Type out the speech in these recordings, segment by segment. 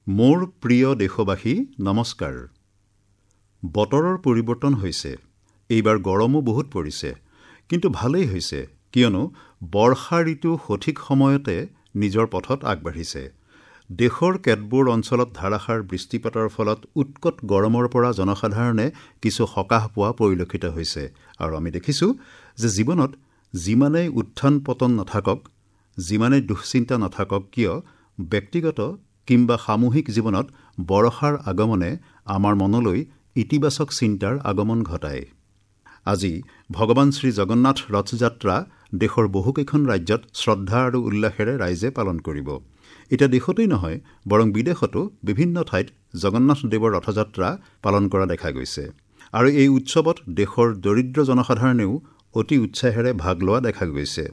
মোৰ প্ৰিয় দেশবাসী, নমস্কাৰ। বতৰৰ পৰিৱৰ্তন হৈছে, এইবাৰ গৰমো বহুত পৰিছে, কিন্তু ভালেই হৈছে, কিয়নো বৰ্ষা ঋতু সঠিক সময়তে নিজৰ পথত আগবাঢ়িছে। দেশৰ কেতবোৰ অঞ্চলত ধাৰাসাৰ বৃষ্টিপাতৰ ফলত উৎকট গৰমৰ পৰা জনসাধাৰণে কিছু সকাহ পোৱা পৰিলক্ষিত হৈছে। আৰু আমি দেখিছোঁ যে জীৱনত যিমানেই উত্থান পতন নাথাকক, যিমানেই দুশ্চিন্তা নাথাকক কিয়, ব্যক্তিগত কিম্বা সামূহিক জীৱনত বৰষাৰ আগমনে আমাৰ মনলৈ ইতিবাচক চিন্তাৰ আগমন ঘটায়। আজি ভগৱান শ্ৰী জগন্নাথ ৰথযাত্ৰা দেশৰ বহুকেইখন ৰাজ্যত শ্ৰদ্ধা আৰু উল্লাসেৰে ৰাইজে পালন কৰিব। এতিয়া দেশতেই নহয়, বৰং বিদেশতো বিভিন্ন ঠাইত জগন্নাথ দেৱৰ ৰথযাত্ৰা পালন কৰা দেখা গৈছে। আৰু এই উৎসৱত দেশৰ দৰিদ্ৰ জনসাধাৰণেও অতি উৎসাহেৰে ভাগ লোৱা দেখা গৈছে।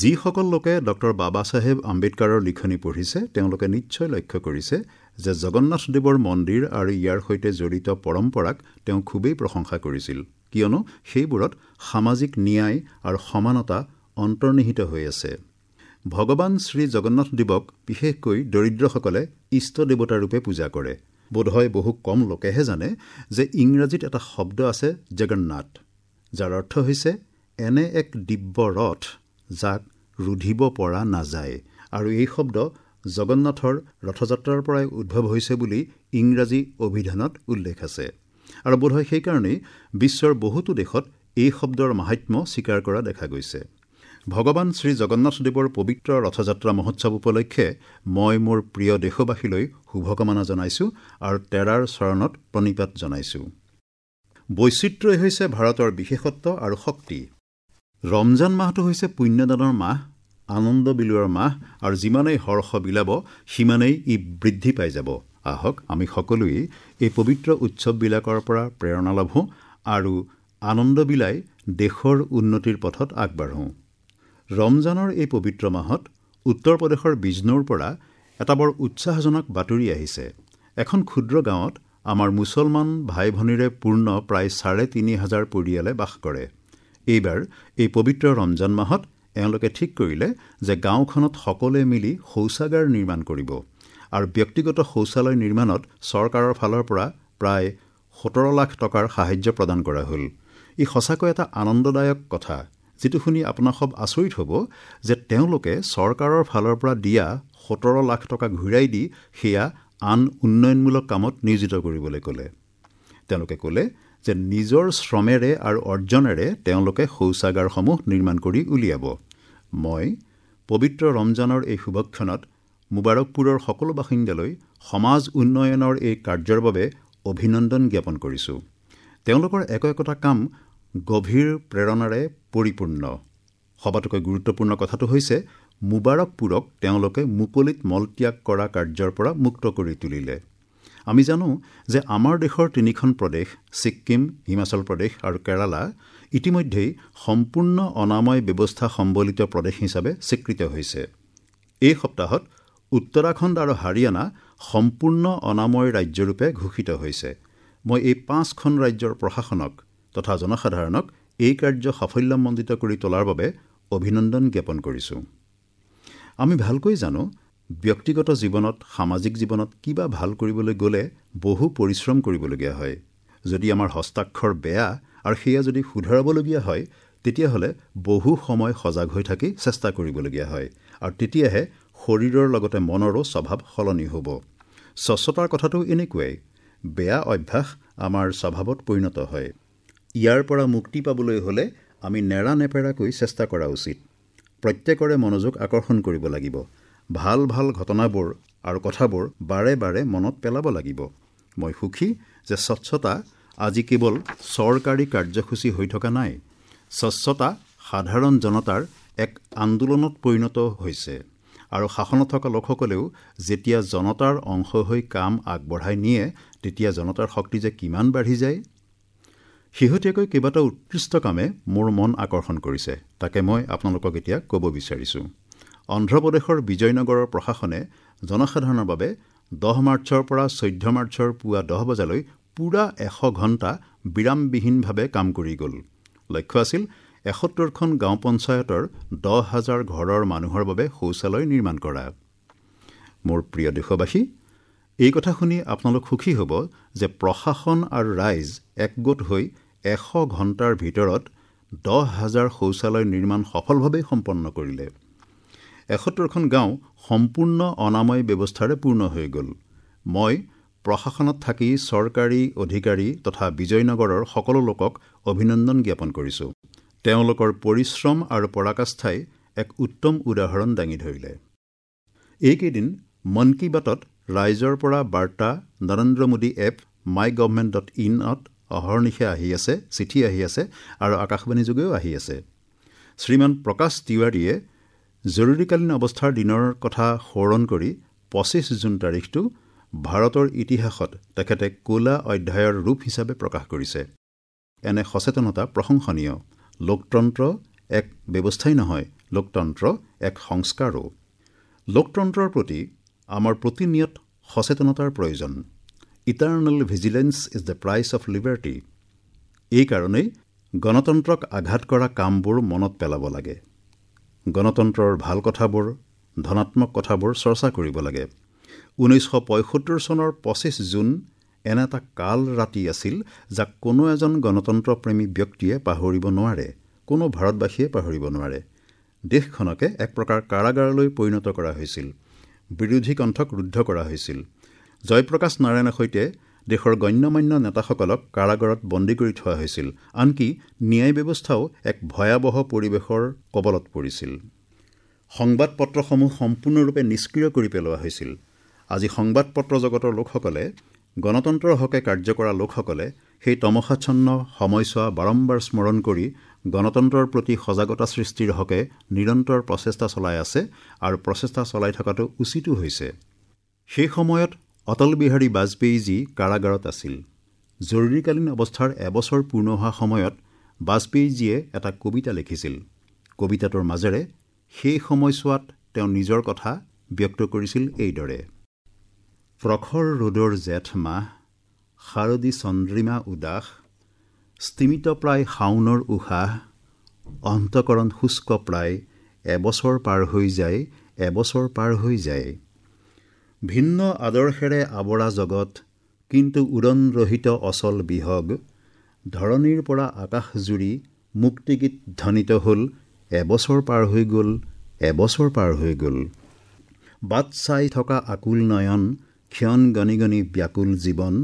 যিসকল লোকে ডক্টৰ বাবা চাহেব আম্বেদকাৰৰ লিখনি পঢ়িছে, তেওঁলোকে নিশ্চয় লক্ষ্য কৰিছে যে জগন্নাথ দেৱৰ মন্দিৰ আৰু ইয়াৰ সৈতে জড়িত পৰম্পৰাক তেওঁ খুবেই প্ৰশংসা কৰিছিল, কিয়নো সেইবোৰত সামাজিক ন্যায় আৰু সমানতা অন্তৰ্নিহিত হৈ আছে। ভগৱান শ্ৰী জগন্নাথ দেৱক বিশেষকৈ দৰিদ্ৰসকলে ইষ্ট দেৱতা ৰূপে পূজা কৰে। বোধহয় বহু কম লোকেহে জানে যে ইংৰাজীত এটা শব্দ আছে জগন্নাথ, যাৰ অৰ্থ হৈছে এনে এক দিব্য ৰথ যাক ৰুধিব পৰা নাযায়। আৰু এই শব্দ জগন্নাথৰ ৰথযাত্ৰাৰ পৰাই উদ্ভৱ হৈছে বুলি ইংৰাজী অভিধানত উল্লেখ আছে। আৰু বোধহয় সেইকাৰণেই বিশ্বৰ বহুতো দেশত এই শব্দৰ মাহাত্ম্য স্বীকাৰ কৰা দেখা গৈছে। ভগৱান শ্ৰী জগন্নাথ দেৱৰ পবিত্ৰ ৰথযাত্ৰা মহোৎসৱ উপলক্ষে মই মোৰ প্ৰিয় দেশবাসীলৈ শুভকামনা জনাইছোঁ আৰু তেৰাৰ চৰণত প্ৰণিপাত জনাইছোঁ। বৈচিত্ৰ্যই হৈছে ভাৰতৰ বিশেষত্ব আৰু শক্তি। ৰমজান মাহটো হৈছে পুণ্যদানৰ মাহ, আনন্দ বিলোৱাৰ মাহ, আৰু যিমানেই হৰ্ষ বিলাব সিমানেই ই বৃদ্ধি পাই যাব। আহক আমি সকলোৱেই এই পবিত্ৰ উৎসৱবিলাকৰ পৰা প্ৰেৰণা লভোঁ আৰু আনন্দ বিলাই দেশৰ উন্নতিৰ পথত আগবাঢ়োঁ। ৰমজানৰ এই পবিত্ৰ মাহত উত্তৰ প্ৰদেশৰ বিজনোৰ পৰা এটা বৰ উৎসাহজনক বাতৰি আহিছে। এখন ক্ষুদ্ৰ গাঁৱত আমাৰ মুছলমান ভাই ভনীৰে পূৰ্ণ প্ৰায় ৩,৫০০ পৰিয়ালে বাস কৰে। এইবাৰ এই পবিত্ৰ ৰমজান মাহত এওঁলোকে ঠিক কৰিলে যে গাঁওখনত সকলোৱে মিলি শৌচাগাৰ নিৰ্মাণ কৰিব আৰু ব্যক্তিগত শৌচালয় নিৰ্মাণত চৰকাৰৰ ফালৰ পৰা প্ৰায় ১৭ লাখ টকাৰ সাহায্য প্ৰদান কৰা হ'ল। ই সঁচাকৈ এটা আনন্দদায়ক কথা, যিটো শুনি আপোনাক সব আচৰিত হ'ব যে তেওঁলোকে চৰকাৰৰ ফালৰ পৰা দিয়া ১৭ লাখ টকা ঘূৰাই দি সেয়া আন উন্নয়নমূলক কামত নিয়োজিত কৰিবলৈ ক'লে। তেওঁলোকে ক'লে যে নিজৰ শ্ৰমেৰে আৰু অৰ্জনেৰে তেওঁলোকে শৌচাগাৰসমূহ নিৰ্মাণ কৰি উলিয়াব। মই পবিত্ৰ ৰমজানৰ এই শুভক্ষণত মুবাৰকপুৰৰ সকলো বাসিন্দালৈ সমাজ উন্নয়নৰ এই কাৰ্যৰ বাবে অভিনন্দন জ্ঞাপন কৰিছোঁ। তেওঁলোকৰ একো একোটা কাম গভীৰ প্ৰেৰণাৰে পৰিপূৰ্ণ। সবাতোকৈ গুৰুত্বপূৰ্ণ কথাটো হৈছে মুবাৰকপুৰক তেওঁলোকে মুকলিত মলত্যাগ কৰা কাৰ্যৰ পৰা মুক্ত কৰি তুলিলে। আমি জানো যে আমাৰ দেশৰ তিনিখন প্ৰদেশ ছিক্কিম, হিমাচল প্ৰদেশ আৰু কেৰালা ইতিমধ্যেই সম্পূৰ্ণ অনাময় ব্যৱস্থা সম্বলিত প্ৰদেশ হিচাপে স্বীকৃত হৈছে। এই সপ্তাহত উত্তৰাখণ্ড আৰু হাৰিয়ানা সম্পূৰ্ণ অনাময় ৰাজ্যৰূপে ঘোষিত হৈছে। মই এই ৫খন ৰাজ্যৰ প্ৰশাসনক তথা জনসাধাৰণক এই কাৰ্য সাফল্যমণ্ডিত কৰি তোলাৰ বাবে অভিনন্দন জ্ঞাপন কৰিছোঁ। আমি ভালকৈ জানো ব্যক্তিগত জীৱনত, সামাজিক জীৱনত কিবা ভাল কৰিবলৈ গ'লে বহু পৰিশ্ৰম কৰিবলগীয়া হয়। যদি আমাৰ হস্তাক্ষৰ বেয়া আৰু সেয়া যদি শুধৰাবলগীয়া হয়, তেতিয়াহ'লে বহু সময় সজাগ হৈ থাকি চেষ্টা কৰিবলগীয়া হয় আৰু তেতিয়াহে শৰীৰৰ লগতে মনৰো স্বভাৱ সলনি হ'ব। স্বচ্ছতাৰ কথাটো এনেকুৱাই, বেয়া অভ্যাস আমাৰ স্বভাৱত পৰিণত হয়। ইয়াৰ পৰা মুক্তি পাবলৈ হ'লে আমি নেৰানেপেৰাকৈ চেষ্টা কৰা উচিত। প্ৰত্যেকৰে মনোযোগ আকৰ্ষণ কৰিব লাগিব। ভাল ভাল ঘটনাবোৰ আৰু কথাবোৰ বাৰে বাৰে মনত পেলাব লাগিব। মই সুখী যে স্বচ্ছতা আজি কেৱল চৰকাৰী কাৰ্যসূচী হৈ থকা নাই, স্বচ্ছতা সাধাৰণ জনতাৰ এক আন্দোলনত পৰিণত হৈছে। আৰু শাসনত থকা লোকসকলেও যেতিয়া জনতাৰ অংশ হৈ কাম আগবঢ়াই নিয়ে, তেতিয়া জনতাৰ শক্তি যে কিমান বাঢ়ি যায়। শেহতীয়াকৈ কেইবাটাও উৎকৃষ্ট কামে মোৰ মন আকৰ্ষণ কৰিছে, তাকে মই আপোনালোকক এতিয়া ক'ব বিচাৰিছোঁ। অন্ধ্ৰপ্ৰদেশৰ বিজয়নগৰৰ প্ৰশাসনে জনসাধাৰণৰ বাবে ১০ মাৰ্চৰ পৰা ১৪ মাৰ্চৰ পুৱা ১০ বজালৈ পূৰা ১০০ ঘণ্টা বিৰামবিহীনভাৱে কাম কৰি গ'ল। লক্ষ্য আছিল ৭১খন গাঁও পঞ্চায়তৰ ১০,০০০ ঘৰৰ মানুহৰ বাবে শৌচালয় নিৰ্মাণ কৰা। মোৰ প্ৰিয় দেশবাসী, এই কথা শুনি আপোনালোক সুখী হ'ব যে প্ৰশাসন আৰু ৰাইজ একগোট হৈ 100 ঘণ্টাৰ ভিতৰত 10,000 শৌচালয় নিৰ্মাণ সফলভাৱে সম্পন্ন কৰিলে। 71খন গাঁও সম্পূৰ্ণ অনাময় ব্যৱস্থাৰে পূৰ্ণ হৈ গ'ল। মই প্ৰশাসনত থাকি চৰকাৰী অধিকাৰী তথা বিজয়নগৰৰ সকলো লোকক অভিনন্দন জ্ঞাপন কৰিছোঁ। তেওঁলোকৰ পৰিশ্ৰম আৰু পৰাকাষ্ঠাই এক উত্তম উদাহৰণ দাঙি ধৰিলে। এইকেইদিন মন কী বাতত ৰাইজৰ পৰা বাৰ্তা নৰেন্দ্ৰ মোদী এপ, mygovernment.inত অহৰ্নিশে আহি আছে, চিঠি আহি আছে আৰু আকাশবাণী যোগেও আহি আছে। শ্ৰীমান প্ৰকাশ তিৱাৰীয়ে জৰুৰীকালীন অৱস্থাৰ দিনৰ কথা সোঁৱৰণ কৰি 25 জুন তাৰিখটো ভাৰতৰ ইতিহাসত তেখেতে ক'লা অধ্যায়ৰ ৰূপ হিচাপে প্ৰকাশ কৰিছে। এনে সচেতনতা প্ৰশংসনীয়। লোকতন্ত্ৰ এক ব্যৱস্থাই নহয়, লোকতন্ত্ৰ এক সংস্কাৰো। লোকতন্ত্ৰৰ প্ৰতি আমাৰ প্ৰতিনিয়ত সচেতনতাৰ প্ৰয়োজন। Eternal vigilance is the price of liberty. এইকাৰণেই গণতন্ত্ৰক আঘাত কৰা কামবোৰ মনত পেলাব লাগে। গণতন্ত্ৰৰ ভাল কথাবোৰ, ধনাত্মক কথাবোৰ চৰ্চা কৰিব লাগে। 1975 চনৰ 25 জুন এনে এটা কাল ৰাতি আছিল যাক কোনো এজন গণতন্ত্ৰপ্ৰেমী ব্যক্তিয়ে পাহৰিব নোৱাৰে, কোনো ভাৰতবাসীয়ে পাহৰিব নোৱাৰে। দেশখনকে এক প্ৰকাৰ কাৰাগাৰলৈ পৰিণত কৰা হৈছিল। বিৰোধী কণ্ঠক ৰুদ্ধ কৰা হৈছিল। জয়প্ৰকাশ নাৰায়ণৰ সৈতে দেশৰ গণ্যমান্য নেতাসকলক কাৰাগাৰত বন্দী কৰি থোৱা হৈছিল। আনকি ন্যায় ব্যৱস্থাও এক ভয়াৱহ পৰিৱেশৰ কবলত পৰিছিল। সংবাদ পত্ৰসমূহ সম্পূৰ্ণৰূপে নিষ্ক্ৰিয় কৰি পেলোৱা হৈছিল। আজি সংবাদ পত্ৰ জগতৰ লোকসকলে, গণতন্ত্ৰৰ হকে কাৰ্য কৰা লোকসকলে সেই তমসাচ্ছন্ন সময়ছোৱা বাৰম্বাৰ স্মৰণ কৰি গণতন্ত্ৰৰ প্ৰতি সজাগতা সৃষ্টিৰ হকে নিৰন্তৰ প্ৰচেষ্টা চলাই আছে আৰু প্ৰচেষ্টা চলাই থকাটো উচিতো হৈছে। সেই সময়ত অটল বিহাৰী বাজপেয়ীজী কাৰাগাৰত আছিল। জৰুৰীকালীন অৱস্থাৰ এবছৰ পূৰ্ণ হোৱা সময়ত বাজপেয়ীজীয়ে এটা কবিতা লিখিছিল। কবিতাটোৰ মাজেৰে সেই সময়ছোৱাত তেওঁ নিজৰ কথা ব্যক্ত কৰিছিল এইদৰে: প্ৰখৰ ৰ'দৰ জেঠ মাহ, শাৰদী চন্দ্ৰিমা উদাস, স্তিমিত প্ৰায় শাওনৰ উশাহ, অন্তঃকৰণ শুষ্ক প্ৰায়, এবছৰ পাৰ হৈ যায়, এবছৰ পাৰ হৈ যায়। ভিন্ন আদৰ্শেৰে আৱৰা জগত, কিন্তু উৰণৰহিত অচল বিহগ, ধৰণীৰ পৰা আকাশ জুৰি মুক্তিগীত ধ্বনিত হ'ল, এবছৰ পাৰ হৈ গ'ল, এবছৰ পাৰ হৈ গ'ল। বাট চাই থকা আকুল নয়ন, ক্ষণ গণি গণি ব্যাকুল জীৱন,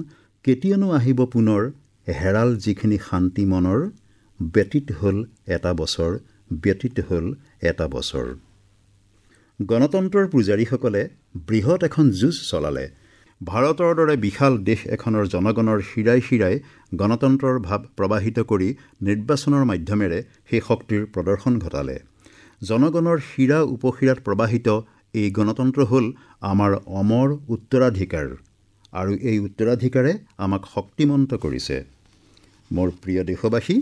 কেতিয়ানো আহিব পুনৰ হেৰাল যিখিনি শান্তি মনৰ, ব্যতীত হ'ল এটা বছৰ, ব্যতীত হ'ল এটা বছৰ। গণতন্ত্ৰৰ পূজাৰীসকলে বৃহৎ এখন যুঁজ চলালে। ভাৰতৰ দৰে বিশাল দেশ এখনৰ জনগণৰ শিৰাই শিৰাই গণতন্ত্ৰৰ ভাৱ প্ৰবাহিত কৰি নিৰ্বাচনৰ মাধ্যমেৰে সেই শক্তিৰ প্ৰদৰ্শন ঘটালে। জনগণৰ শিৰা উপশিৰাত প্ৰবাহিত এই গণতন্ত্ৰ হ'ল আমাৰ অমৰ উত্তৰাধিকাৰ আৰু এই উত্তৰাধিকাৰে আমাক শক্তিমন্ত কৰিছে। মোৰ প্ৰিয় দেশবাসী,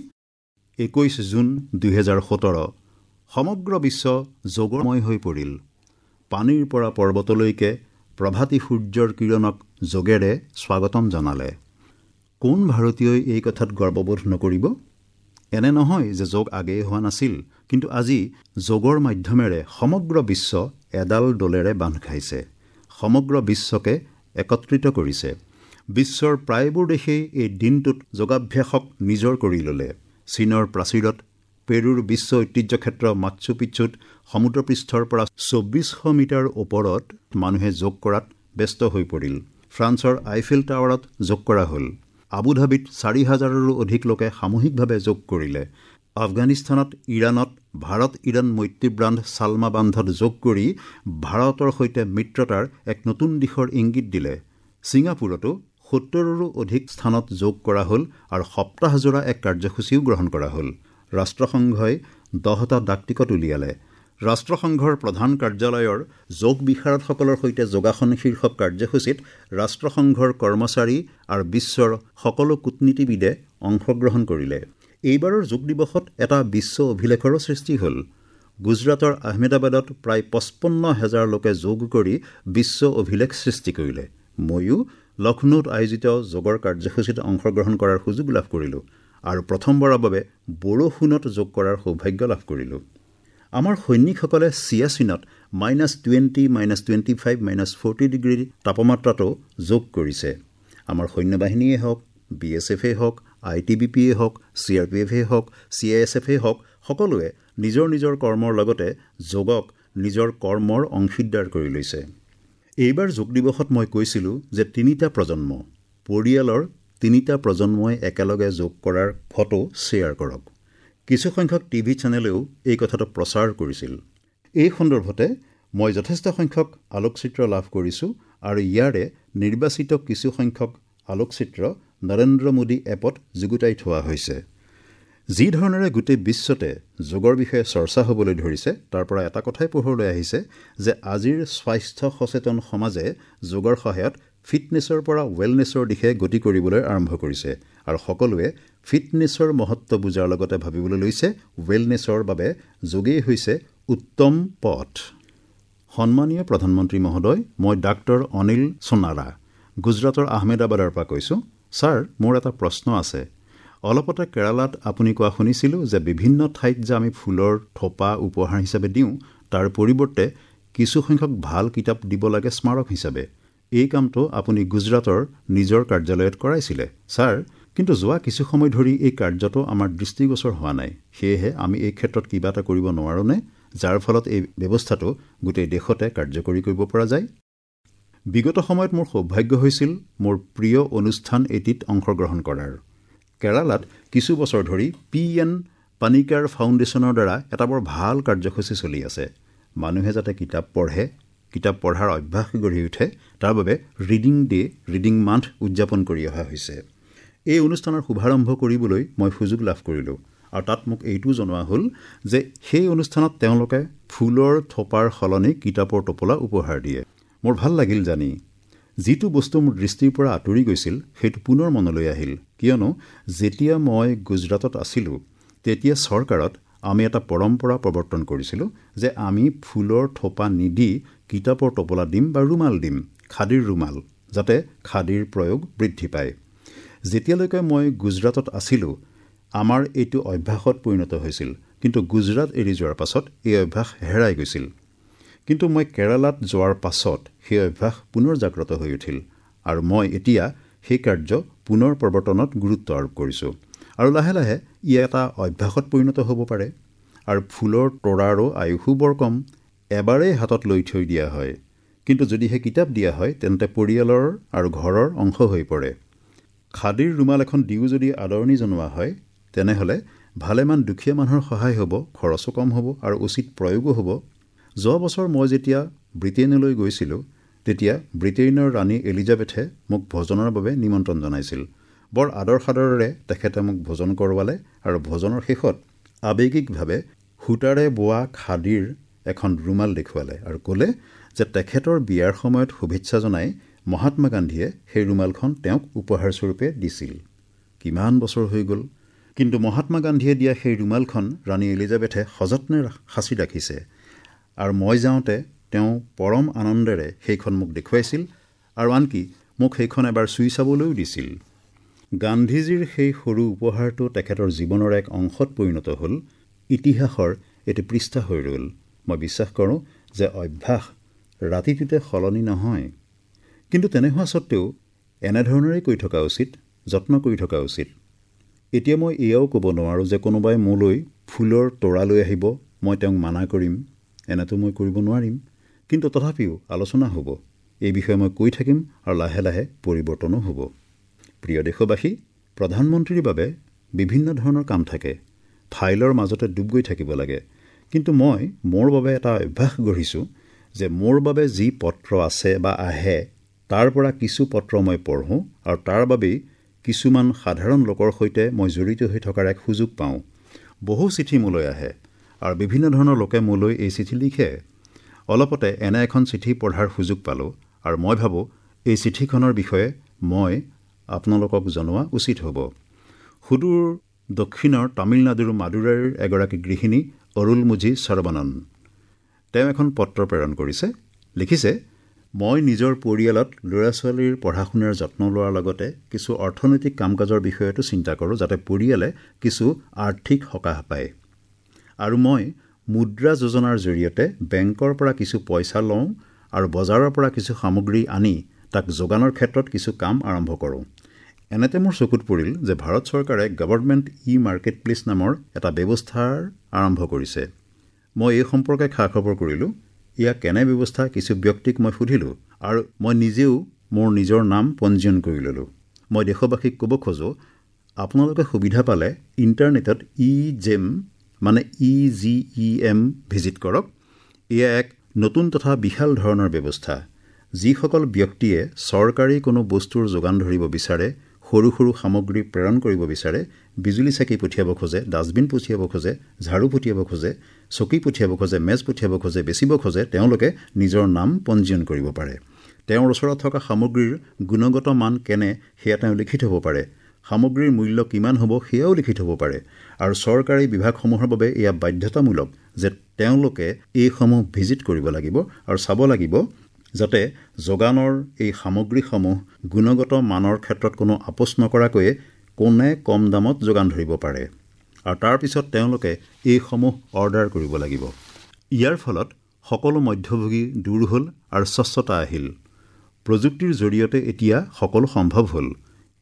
21 জুন 2017 সমগ্ৰ বিশ্ব যোগময় হৈ পৰিল। পানীৰ পৰা পৰ্বতলৈকে প্ৰভাতী সূৰ্যৰ কিৰণক যোগেৰে স্বাগতম জনালে। কোন ভাৰতীয়ই এই কথাত গৰ্ববোধ নকৰিব? এনে নহয় যে যোগ আগেয়ে হোৱা নাছিল, কিন্তু আজি যোগৰ মাধ্যমেৰে সমগ্ৰ বিশ্ব এডাল ডোলেৰে বান্ধ খাইছে, সমগ্ৰ বিশ্বকে একত্ৰিত কৰিছে। বিশ্বৰ প্ৰায়বোৰ দেশেই এই দিনটোত যোগাভ্যাসক নিজৰ কৰি ল'লে। চীনৰ প্ৰাচীৰত, পেৰুৰ বিশ্ব ঐতিহ্যক্ষেত্ৰ মাচ্চু পিচ্চুত সমুদ্ৰপৃষ্ঠৰ পৰা 2400 মিটাৰ ওপৰত মানুহে যোগ কৰাত ব্যস্ত হৈ পৰিল। ফ্ৰান্সৰ আইফেল টাৱাৰত যোগ কৰা হ'ল। আবুধাবিত 4000ৰো অধিক লোকে সামূহিকভাৱে যোগ কৰিলে। আফগানিস্তানত, ইৰাণত ভাৰত ইৰাণ মৈত্ৰী বান্ধ ছালমা বান্ধত যোগ কৰি ভাৰতৰ সৈতে মিত্ৰতাৰ এক নতুন দিশৰ ইংগিত দিলে। ছিংগাপুৰতো 70ৰো অধিক স্থানত যোগ কৰা হ'ল আৰু সপ্তাহজোৰা এক কাৰ্যসূচীও গ্ৰহণ কৰা হ'ল। ৰাষ্ট্ৰসংঘই 10টা ডাকটিকট উলিয়ালে। ৰাষ্ট্ৰসংঘৰ প্ৰধান কাৰ্যালয়ৰ যোগ বিশাৰদসকলৰ সৈতে যোগাসন শীৰ্ষক কাৰ্যসূচীত ৰাষ্ট্ৰসংঘৰ কৰ্মচাৰী আৰু বিশ্বৰ সকলো কূটনীতিবিদে অংশগ্ৰহণ কৰিলে। এইবাৰৰ যোগ দিৱসত এটা বিশ্ব অভিলেখৰো সৃষ্টি হ'ল। গুজৰাটৰ আহমেদাবাদত প্ৰায় 55,000 লোকে যোগ কৰি বিশ্ব অভিলেখ সৃষ্টি কৰিলে। ময়ো লক্ষ্ণৌত আয়োজিত যোগৰ কাৰ্যসূচীত অংশগ্ৰহণ কৰাৰ সুযোগ লাভ কৰিলোঁ আৰু প্ৰথমবাৰৰ বাবে বৰষুণত যোগ কৰাৰ সৌভাগ্য লাভ কৰিলোঁ। আমাৰ সৈনিকসকলে চিয়াচিনত -20, -25, -40 ডিগ্ৰী তাপমাত্ৰাতো যোগ কৰিছে। আমাৰ সৈন্যবাহিনীয়ে হওক, বি এছ এফেই হওক, I T B পিয়ে হওক, চি আৰ পি এফেই হওক, চি I S এফেই হওক, সকলোৱে নিজৰ নিজৰ কৰ্মৰ লগতে যোগক নিজৰ কৰ্মৰ অংশীদাৰ কৰি লৈছে। এইবাৰ যোগ দিৱসত মই কৈছিলোঁ যে 3টা প্ৰজন্ম, পৰিয়ালৰ 3টা প্ৰজন্মই একেলগে যোগ কৰাৰ ফটো শ্বেয়াৰ কৰক। কিছুসংখ্যক টিভি চেনেলেও এই কথাটো প্ৰচাৰ কৰিছিল। এই সন্দৰ্ভতে মই যথেষ্ট সংখ্যক আলোকচিত্ৰ লাভ কৰিছোঁ আৰু ইয়াৰে নিৰ্বাচিত কিছুসংখ্যক আলোকচিত্ৰ নৰেন্দ্ৰ মোদী এপত যুগুতাই থোৱা হৈছে। যি ধৰণেৰে গোটেই বিশ্বতে যোগৰ বিষয়ে চৰ্চা হ'বলৈ ধৰিছে, তাৰ পৰা এটা কথাই পোহৰলৈ আহিছে যে আজিৰ স্বাস্থ্য সচেতন সমাজে যোগৰ সহায়ত ফিটনেছৰ পৰা ৱেলনেছৰ দিশে গতি কৰিবলৈ আৰম্ভ কৰিছে আৰু সকলোৱে ফিটনেছৰ মহত্ব বুজাৰ লগতে ভাবিবলৈ লৈছে ৱেলনেছৰ বাবে যোগেই হৈছে উত্তম পথ। সন্মানীয় প্ৰধানমন্ত্ৰী মহোদয়, মই ডাক্তৰ অনিল সোণাৰা, গুজৰাটৰ আহমেদাবাদৰ পৰা কৈছোঁ। ছাৰ, মোৰ এটা প্ৰশ্ন আছে। অলপতে কেৰালাত আপুনি কোৱা শুনিছিলোঁ যে বিভিন্ন ঠাইত যে আমি ফুলৰ থোপা উপহাৰ হিচাপে দিওঁ, তাৰ পৰিৱৰ্তে কিছুসংখ্যক ভাল কিতাপ দিব লাগে স্মাৰক হিচাপে। এই কামটো আপুনি গুজৰাটৰ নিজৰ কাৰ্যালয়ত কৰাইছিলে ছাৰ, কিন্তু যোৱা কিছু সময় ধৰি এই কাৰ্যটো আমাৰ দৃষ্টিগোচৰ হোৱা নাই। সেয়েহে আমি এই ক্ষেত্ৰত কিবা এটা কৰিব নোৱাৰোঁনে, যাৰ ফলত এই ব্যৱস্থাটো গোটেই দেশতে কাৰ্যকৰী কৰিব পৰা যায়? বিগত সময়ত মোৰ সৌভাগ্য হৈছিল মোৰ প্ৰিয় অনুষ্ঠান এটিত অংশগ্ৰহণ কৰাৰ। কেৰালাত কিছু বছৰ ধৰি পি এন পানিকাৰ ফাউণ্ডেশ্যনৰ দ্বাৰা এটা বৰ ভাল কাৰ্যসূচী চলি আছে। মানুহে যাতে কিতাপ পঢ়ে, কিতাপ পঢ়াৰ অভ্যাস গঢ়ি উঠে, তাৰ বাবে ৰিডিং ডে, ৰিডিং মান্থ উদযাপন কৰি অহা হৈছে। এই অনুষ্ঠানৰ শুভাৰম্ভ কৰিবলৈ মই সুযোগ লাভ কৰিলোঁ আৰু তাত মোক এইটোও জনোৱা হ'ল যে সেই অনুষ্ঠানত তেওঁলোকে ফুলৰ থোপাৰ সলনি কিতাপৰ টোপোলা উপহাৰ দিয়ে। মোৰ ভাল লাগিল জানি। যিটো বস্তু মোৰ দৃষ্টিৰ পৰা আঁতৰি গৈছিল সেইটো পুনৰ মনলৈ আহিল, কিয়নো যেতিয়া মই গুজৰাটত আছিলোঁ তেতিয়া চৰকাৰত আমি এটা পৰম্পৰা প্ৰৱৰ্তন কৰিছিলোঁ যে আমি ফুলৰ থোপা নিদি কিতাপৰ টোপোলা দিম বা ৰুমাল দিম, খাদীৰ ৰুমাল, যাতে খাদীৰ প্ৰয়োগ বৃদ্ধি পায়। যেতিয়ালৈকে মই গুজৰাটত আছিলোঁ আমাৰ এইটো অভ্যাসত পৰিণত হৈছিল, কিন্তু গুজৰাট এৰি যোৱাৰ পাছত এই অভ্যাস হেৰাই গৈছিল। কিন্তু মই কেৰালাত যোৱাৰ পাছত সেই অভ্যাস পুনৰ জাগ্ৰত হৈ উঠিল আৰু মই এতিয়া সেই কাৰ্য পুনৰ প্ৰৱৰ্তনত গুৰুত্ব আৰোপ কৰিছোঁ আৰু লাহে লাহে ই এটা অভ্যাসত পৰিণত হ'ব পাৰে। আৰু ফুলৰ তৰাৰো আয়ুসো বৰ কম, এবাৰেই হাতত লৈ থৈ দিয়া হয়। কিন্তু যদিহে কিতাপ দিয়া হয় তেন্তে পৰিয়ালৰ আৰু ঘৰৰ অংশ হৈ পৰে। খাদীৰ ৰুমাল এখন দিও যদি আদৰণি জনোৱা হয়, তেনেহ'লে ভালেমান দুখীয়া মানুহৰ সহায় হ'ব, খৰচো কম হ'ব আৰু উচিত প্ৰয়োগো হ'ব। যোৱা বছৰ মই যেতিয়া ব্ৰিটেইনলৈ গৈছিলোঁ তেতিয়া ব্ৰিটেইনৰ ৰাণী এলিজাবেথে মোক ভোজনৰ বাবে নিমন্ত্ৰণ জনাইছিল। বৰ আদৰ সাদৰেৰে তেখেতে মোক ভোজন কৰোৱালে আৰু ভোজনৰ শেষত আৱেগিকভাৱে সূতাৰে বোৱা খাদীৰ এখন ৰুমাল দেখুৱালে আৰু ক'লে যে তেখেতৰ বিয়াৰ সময়ত শুভেচ্ছা জনাই মহাত্মা গান্ধীয়ে সেই ৰুমালখন তেওঁক উপহাৰস্বৰূপে দিছিল। কিমান বছৰ হৈ গ'ল, কিন্তু মহাত্মা গান্ধীয়ে দিয়া সেই ৰুমালখন ৰাণী এলিজাবেথে সযত্নে সাঁচি ৰাখিছে। আৰু মই যাওঁতে তেওঁ পৰম আনন্দেৰে সেইখন মোক দেখুৱাইছিল আৰু আনকি মোক সেইখন এবাৰ চুই চাবলৈও দিছিল। গান্ধীজীৰ সেই সৰু উপহাৰটো তেখেতৰ জীৱনৰ এক অংশত পৰিণত হ'ল, ইতিহাসৰ এটি পৃষ্ঠা হৈ ৰ'ল। মই বিশ্বাস কৰোঁ যে অভ্যাস ৰাতিটোতে সলনি নহয়, কিন্তু তেনে হোৱা সত্ত্বেও এনেধৰণেৰেই কৈ থকা উচিত, যত্ন কৰি থকা উচিত। এতিয়া মই এয়াও ক'ব নোৱাৰোঁ যে কোনোবাই মোলৈ ফুলৰ তোৰা লৈ আহিব, মই তেওঁক মানা কৰিম, এনেতো মই কৰিব নোৱাৰিম। কিন্তু তথাপিও আলোচনা হ'ব, এই বিষয়ে মই কৈ থাকিম আৰু লাহে লাহে পৰিৱৰ্তনো হ'ব। প্ৰিয় দেশবাসী, প্ৰধানমন্ত্ৰীৰ বাবে বিভিন্ন ধৰণৰ কাম থাকে, ফাইলৰ মাজতে ডুব গৈ থাকিব লাগে। কিন্তু মই মোৰ বাবে এটা অভ্যাস গঢ়িছোঁ যে মোৰ বাবে যি পত্ৰ আছে বা আহে তাৰ পৰা কিছু পত্ৰ মই পঢ়োঁ আৰু তাৰ বাবেই কিছুমান সাধাৰণ লোকৰ সৈতে মই জড়িত হৈ থকাৰ এক সুযোগ পাওঁ। বহু চিঠি মোলৈ আহে আৰু বিভিন্ন ধৰণৰ লোকে মোলৈ এই চিঠি লিখে। অলপতে এনে এখন চিঠি পঢ়াৰ সুযোগ পালোঁ আৰু মই ভাবোঁ এই চিঠিখনৰ বিষয়ে মই আপোনালোকক জনোৱা উচিত হ'ব। সুদূৰ দক্ষিণৰ তামিলনাডুৰ মাদুৰাইৰ এগৰাকী গৃহিণী অৰুলমুঝি সৰবনন, তেওঁ এখন পত্ৰ প্ৰেৰণ কৰিছে। লিখিছে, মই নিজৰ পৰিয়ালত ল'ৰা ছোৱালীৰ পঢ়া শুনাৰ যত্ন লোৱাৰ লগতে কিছু অৰ্থনৈতিক কাম কাজৰ বিষয়তো চিন্তা কৰোঁ, যাতে পৰিয়ালে কিছু আৰ্থিক সকাহ পায়। আৰু মই মুদ্ৰা যোজনাৰ জৰিয়তে বেংকৰ পৰা কিছু পইচা লওঁ আৰু বজাৰৰ পৰা কিছু সামগ্ৰী আনি তাক যোগানৰ ক্ষেত্ৰত কিছু কাম আৰম্ভ কৰোঁ। এনেতে মোৰ চকুত পৰিল যে ভাৰত চৰকাৰে গভৰ্ণমেণ্ট ই মাৰ্কেট প্লেচ নামৰ এটা ব্যৱস্থাৰ আৰম্ভ কৰিছে। মই এই সম্পৰ্কে খা খবৰ কৰিলোঁ। এয়া কেনে ব্যৱস্থা কিছু ব্যক্তিক মই সুধিলোঁ আৰু মই নিজেও মোৰ নিজৰ নাম পঞ্জীয়ন কৰি ল'লোঁ। মই দেশবাসীক ক'ব খোজোঁ, আপোনালোকে সুবিধা পালে ইণ্টাৰনেটত ই জেম মানে EGEM visit কৰক। এয়া এক নতুন তথা বিশাল ধৰণৰ ব্যৱস্থা। যিসকল ব্যক্তিয়ে চৰকাৰী কোনো বস্তুৰ যোগান ধৰিব বিচাৰে, সৰু সৰু সামগ্ৰী প্ৰেৰণ কৰিব বিচাৰে, বিজুলী চাকি পঠিয়াব খোজে, ডাষ্টবিন পঠিয়াব খোজে, ঝাড়ু পঠিয়াব খোজে, চকী পঠিয়াব খোজে, মেজ পঠিয়াব খোজে, বেচিব খোজে, তেওঁলোকে নিজৰ নাম পঞ্জীয়ন কৰিব পাৰে। তেওঁৰ ওচৰত থকা সামগ্ৰীৰ গুণগত মান কেনে সেয়া তেওঁ লিখি থ'ব পাৰে। সামগ্ৰীৰ মূল্য কিমান হ'ব সেয়াও লিখি থ'ব পাৰে। আৰু চৰকাৰী বিভাগসমূহৰ বাবে এয়া বাধ্যতামূলক যে তেওঁলোকে এইসমূহ ভিজিট কৰিব লাগিব আৰু চাব লাগিব যাতে যোগানৰ এই সামগ্ৰীসমূহ গুণগত মানৰ ক্ষেত্ৰত কোনো আপোচ নকৰাকৈয়ে কোনে কম দামত যোগান ধৰিব পাৰে। আৰু তাৰপিছত তেওঁলোকে এইসমূহ অৰ্ডাৰ কৰিব লাগিব। ইয়াৰ ফলত সকলো মধ্যভোগী দূৰ হ'ল আৰু স্বচ্ছতা আহিল। প্ৰযুক্তিৰ জৰিয়তে এতিয়া সকলো সম্ভৱ হ'ল।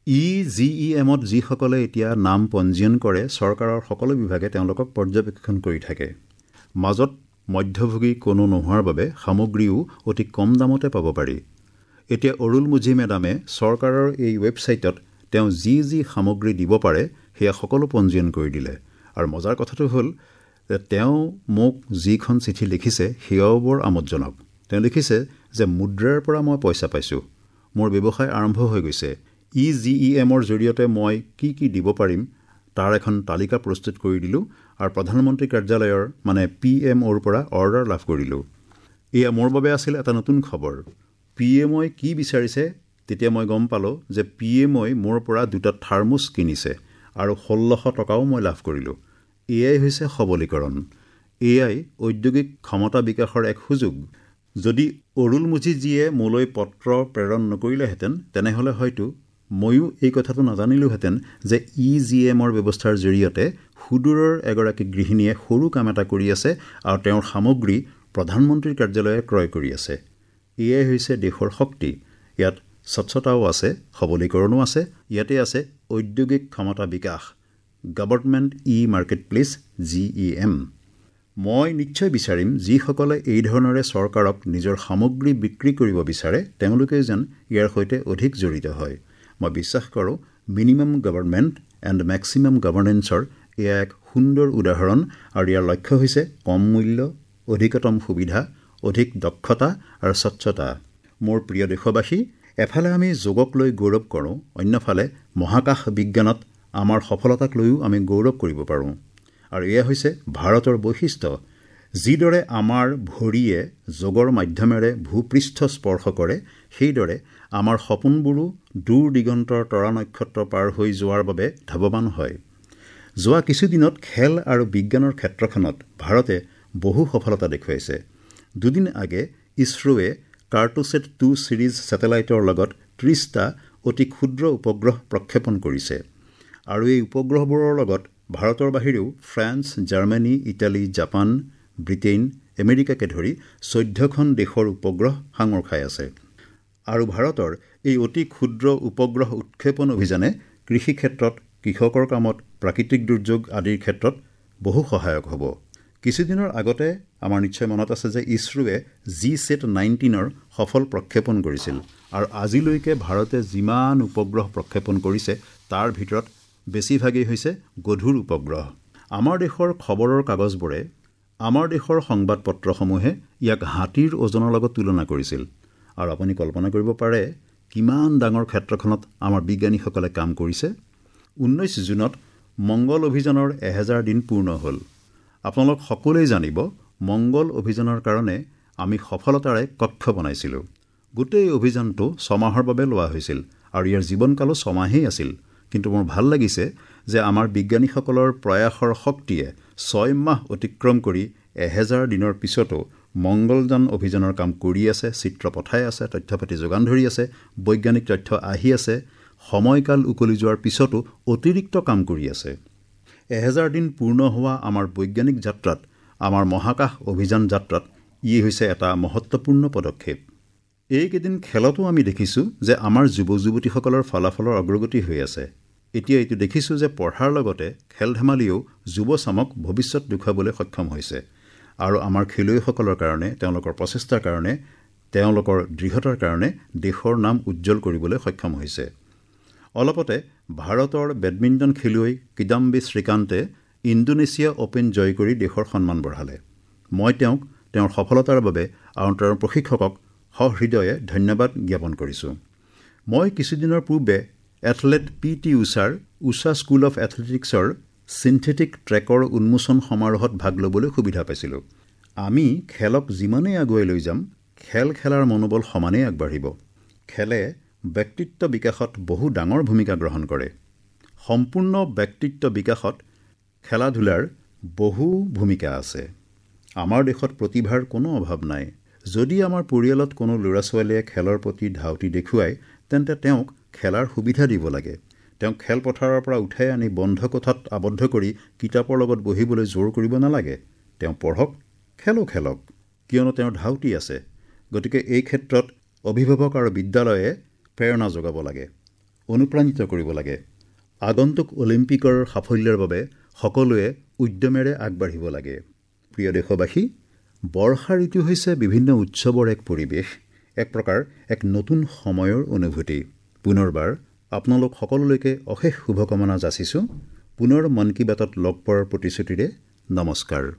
EGEMত যিসকলে এতিয়া নাম পঞ্জীয়ন কৰে, চৰকাৰৰ সকলো বিভাগে তেওঁলোকক পৰ্যবেক্ষণ কৰি থাকে। মাজত মধ্যভোগী কোনো নোহোৱাৰ বাবে সামগ্ৰীও অতি কম দামতে পাব পাৰি। এতিয়া অৰুলমুঝি মেডামে চৰকাৰৰ এই ৱেবছাইটত তেওঁ যি যি সামগ্ৰী দিব পাৰে সেয়া সকলো পঞ্জীয়ন কৰি দিলে। আৰু মজাৰ কথাটো হ'ল যে তেওঁ মোক যিখন চিঠি লিখিছে সেয়াও বৰ আমোদজনক। তেওঁ লিখিছে যে মুদ্ৰাৰ পৰা মই পইচা পাইছোঁ, মোৰ ব্যৱসায় আৰম্ভ হৈ গৈছে। EGEMৰ জৰিয়তে মই কি কি দিব পাৰিম তাৰ এখন তালিকা প্ৰস্তুত কৰি দিলোঁ আৰু প্ৰধানমন্ত্ৰী কাৰ্যালয়ৰ মানে PMOৰ পৰা অৰ্ডাৰ লাভ কৰিলোঁ। এয়া মোৰ বাবে আছিল এটা নতুন খবৰ। PMOই কি বিচাৰিছে তেতিয়া মই গম পালোঁ যে PMOই মোৰ পৰা 2টা থাৰ্মোছ কিনিছে আৰু ১৬০০ টকাও মই লাভ কৰিলোঁ। এয়াই হৈছে সবলীকৰণ। এয়াই ঔদ্যোগিক ক্ষমতা বিকাশৰ এক সুযোগ। যদি অৰুলমুঝিজীয়ে মোলৈ পত্ৰ প্ৰেৰণ নকৰিলেহেঁতেন, তেনেহ'লে হয়তো ময়ো এই কথাটো নাজানিলোহেঁতেন যে EGMৰ ব্যৱস্থাৰ জৰিয়তে সুদূৰৰ এগৰাকী গৃহিণীয়ে সৰু কাম এটা কৰি আছে আৰু তেওঁৰ সামগ্ৰী প্ৰধানমন্ত্ৰীৰ কাৰ্যালয়ে ক্ৰয় কৰি আছে। এয়াই হৈছে দেশৰ শক্তি। ইয়াত স্বচ্ছতাও আছে, সবলীকৰণো আছে, ইয়াতে আছে ঔদ্যোগিক ক্ষমতা বিকাশ, গভৰ্ণমেণ্ট ই মাৰ্কেট প্লেচ GEM। মই নিশ্চয় বিচাৰিম যিসকলে এই ধৰণেৰে চৰকাৰক নিজৰ সামগ্ৰী বিক্ৰী কৰিব বিচাৰে তেওঁলোকে যেন ইয়াৰ সৈতে অধিক জড়িত হয়। মই বিশ্বাস কৰোঁ মিনিমাম গভৰ্ণমেণ্ট এণ্ড মেক্সিমাম গভৰ্ণেন্সৰ এয়া এক সুন্দৰ উদাহৰণ আৰু ইয়াৰ লক্ষ্য হৈছে কম মূল্য, অধিকতম সুবিধা, অধিক দক্ষতা আৰু স্বচ্ছতা। মোৰ প্ৰিয় দেশবাসী, এফালে আমি যোগক লৈ গৌৰৱ কৰোঁ, অন্যফালে মহাকাশ বিজ্ঞানত আমাৰ সফলতাক লৈও আমি গৌৰৱ কৰিব পাৰোঁ। আৰু এয়া হৈছে ভাৰতৰ বৈশিষ্ট্য। যিদৰে আমাৰ ভৰিয়ে যোগৰ মাধ্যমেৰে ভূপৃষ্ঠ স্পৰ্শ কৰে, সেইদৰে আমাৰ সপোনবোৰো দূৰ দিগন্তৰ তৰা নক্ষত্ৰ পাৰ হৈ যোৱাৰ বাবে ধাৱমান হয়। যোৱা কিছুদিনত খেল আৰু বিজ্ঞানৰ ক্ষেত্ৰখনত ভাৰতে বহু সফলতা দেখুৱাইছে। দুদিন আগে ইছৰোৱে কাৰ্টোছেট 2 ছিৰিজ ছেটেলাইটৰ লগত 30টা অতি ক্ষুদ্ৰ উপগ্ৰহ প্ৰক্ষেপণ কৰিছে। আৰু এই উপগ্ৰহবোৰৰ লগত ভাৰতৰ বাহিৰেও France, Germany, Italy, Japan, Britain, আমেৰিকাকে ধৰি 14খন দেশৰ উপগ্ৰহ সাঙুৰ খাই আছে। আৰু ভাৰতৰ এই অতি ক্ষুদ্ৰ উপগ্ৰহ উৎক্ষেপণ অভিযানে কৃষি ক্ষেত্ৰত, কৃষকৰ কামত, প্ৰাকৃতিক দুৰ্যোগ আদিৰ ক্ষেত্ৰত বহু সহায়ক হ'ব। কিছুদিনৰ আগতে আমাৰ নিশ্চয় মনত আছে যে ইছৰোৱে GSAT-19ৰ সফল প্ৰক্ষেপণ কৰিছিল আৰু আজিলৈকে ভাৰতে যিমান উপগ্ৰহ প্ৰক্ষেপণ কৰিছে তাৰ ভিতৰত বেছিভাগেই হৈছে গধুৰ উপগ্ৰহ। আমাৰ দেশৰ খবৰৰ কাগজবোৰে, আমাৰ দেশৰ সংবাদপত্ৰসমূহে ইয়াক হাতীৰ ওজনৰ লগত তুলনা কৰিছিল। আৰু আপুনি কল্পনা কৰিব পাৰে কিমান ডাঙৰ ক্ষেত্ৰখনত আমাৰ বিজ্ঞানীসকলে কাম কৰিছে। 19 জুনত মংগল অভিযানৰ 1000 দিন পূৰ্ণ হ'ল। আপোনালোক সকলোৱে জানিব, মংগল অভিযানৰ কাৰণে আমি সফলতাৰে কক্ষ বনাইছিলোঁ। গোটেই অভিযানটো 6 মাহৰ বাবে লোৱা হৈছিল আৰু ইয়াৰ জীৱনকালো 6 মাহেই আছিল। কিন্তু মোৰ ভাল লাগিছে যে আমাৰ বিজ্ঞানীসকলৰ প্ৰয়াসৰ শক্তিয়ে 6 মাহ অতিক্ৰম কৰি 1000 দিনৰ পিছতো মংগলযান অভিযানৰ কাম কৰি আছে, চিত্ৰ পঠাই আছে, তথ্য পাতি যোগান ধৰি আছে, বৈজ্ঞানিক তথ্য আহি আছে, সময়কাল উকলি যোৱাৰ পিছতো অতিৰিক্ত কাম কৰি আছে। 1000 দিন পূৰ্ণ হোৱা আমাৰ বৈজ্ঞানিক যাত্ৰাত আমাৰ মহাকাশ অভিযান যাত্ৰাত ই হৈছে এটা মহত্বপূৰ্ণ পদক্ষেপ। এইকেইদিন খেলতো আমি দেখিছোঁ যে আমাৰ যুৱক-যুৱতীসকলৰ ফলাফলৰ অগ্ৰগতি হৈ আছে। এতিয়া এইটো দেখিছোঁ যে পঢ়াৰ লগতে খেল-ধেমালিয়েও যুৱচামক ভৱিষ্যত দেখুৱাবলৈ সক্ষম হৈছে আৰু আমাৰ খেলুৱৈসকলৰ কাৰণে, তেওঁলোকৰ প্ৰচেষ্টাৰ কাৰণে, তেওঁলোকৰ দৃঢ়তাৰ কাৰণে দেশৰ নাম উজ্জ্বল কৰিবলৈ সক্ষম হৈছে। অলপতে ভাৰতৰ বেডমিণ্টন খেলুৱৈ কিদাম্বী শ্ৰীকান্তে ইণ্ডোনেছিয়া অপেন জয় কৰি দেশৰ সন্মান বঢ়ালে। মই তেওঁক তেওঁৰ সফলতাৰ বাবে আৰু তেওঁৰ প্ৰশিক্ষকক সহৃদয়ে ধন্যবাদ জ্ঞাপন কৰিছোঁ। মই কিছুদিনৰ পূৰ্বে এথলেট পি টি উষাৰ উষা স্কুল অফ এথলেটিক্সৰ চিন্থেটিক ট্ৰেকৰ উন্মোচন সমাৰোহত ভাগ ল'বলৈ সুবিধা পাইছিলোঁ। আমি খেলক যিমানেই আগুৱাই লৈ যাম, খেল খেলাৰ মনোবল সমানেই আগবাঢ়িব। খেলে ব্যক্তিত্ব বিকাশত বহু ডাঙৰ ভূমিকা গ্ৰহণ কৰে। সম্পূৰ্ণ ব্যক্তিত্ব বিকাশত খেলা ধূলাৰ বহু ভূমিকা আছে। আমাৰ দেশত প্ৰতিভাৰ কোনো অভাৱ নাই। যদি আমাৰ পৰিয়ালত কোনো ল'ৰা-ছোৱালীয়ে খেলৰ প্ৰতি ধাউতি দেখুৱায়, তেন্তে তেওঁক খেলাৰ সুবিধা দিব লাগে। তেওঁক খেলপথাৰৰ পৰা উঠাই আনি বন্ধ কোঠাত আবদ্ধ কৰি কিতাপৰ লগত বহিবলৈ জোৰ কৰিব নালাগে। তেওঁ পঢ়ক, খেলো খেলক, কিয়নো তেওঁৰ ধাউতি আছে। গতিকে এই ক্ষেত্ৰত অভিভাৱক আৰু বিদ্যালয়ে প্ৰেৰণা যোগাব লাগে, অনুপ্ৰাণিত কৰিব লাগে। আগন্তুক অলিম্পিকৰ সাফল্যৰ বাবে সকলোৱে উদ্যমেৰে আগবাঢ়িব লাগে। প্ৰিয় দেশবাসী, বৰ্ষা ঋতু হৈছে বিভিন্ন উৎসৱৰ এক পৰিৱেশ, এক প্ৰকাৰ এক নতুন সময়ৰ অনুভূতি। পুনৰবাৰ আপোনালোক সকলোলৈকে অশেষ শুভকামনা যাচিছোঁ। পুনৰ মন কী বাতত লগ পোৱাৰ প্ৰতিশ্ৰুতিৰে নমস্কাৰ।